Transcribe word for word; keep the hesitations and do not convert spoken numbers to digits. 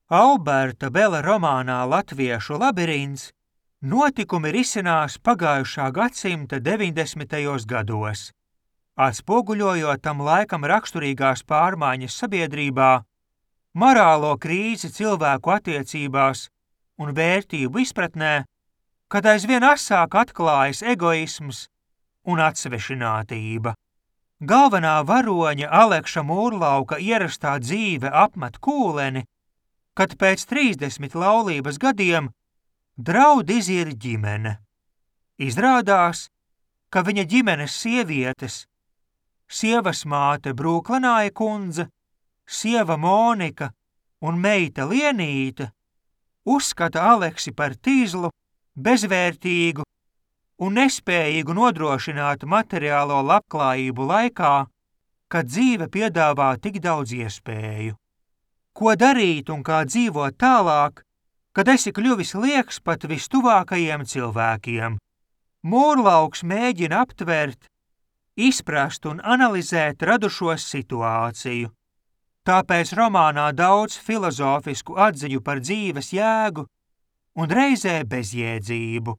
Alberta Bela romānā Latviešu labirints notikumi risinās pagājušā gadsimta deviņdesmitajos gados, atspoguļojot tam laikam raksturīgās pārmaiņas sabiedrībā, morālo krīzi cilvēku attiecībās un vērtību izpratnē, kad aizvien asāk atklājas egoisms un atsvešinātība. Galvenā varoņa Alekša Mūrlauka ierastā dzīve apmet kūleni, kad pēc trīsdesmit laulības gadiem draud iziet ģimene. Izrādās, ka viņa ģimenes sievietes, sievas māte Brūklenāja kundze, sieva Monika un meita Lienīte uzskata Aleksi par tīzlu, bezvērtīgu un nespējīgu nodrošināt materiālo labklājību laikā, kad dzīve piedāvā tik daudz iespēju. Ko darīt un kā dzīvot tālāk, kad esi kļuvis lieks pat vistuvākajiem cilvēkiem? Mūrlauks mēģina aptvert, izprast un analizēt radušos situāciju. Tāpēc romānā daudz filozofisku atziņu par dzīves jēgu un reizē bezjēdzību.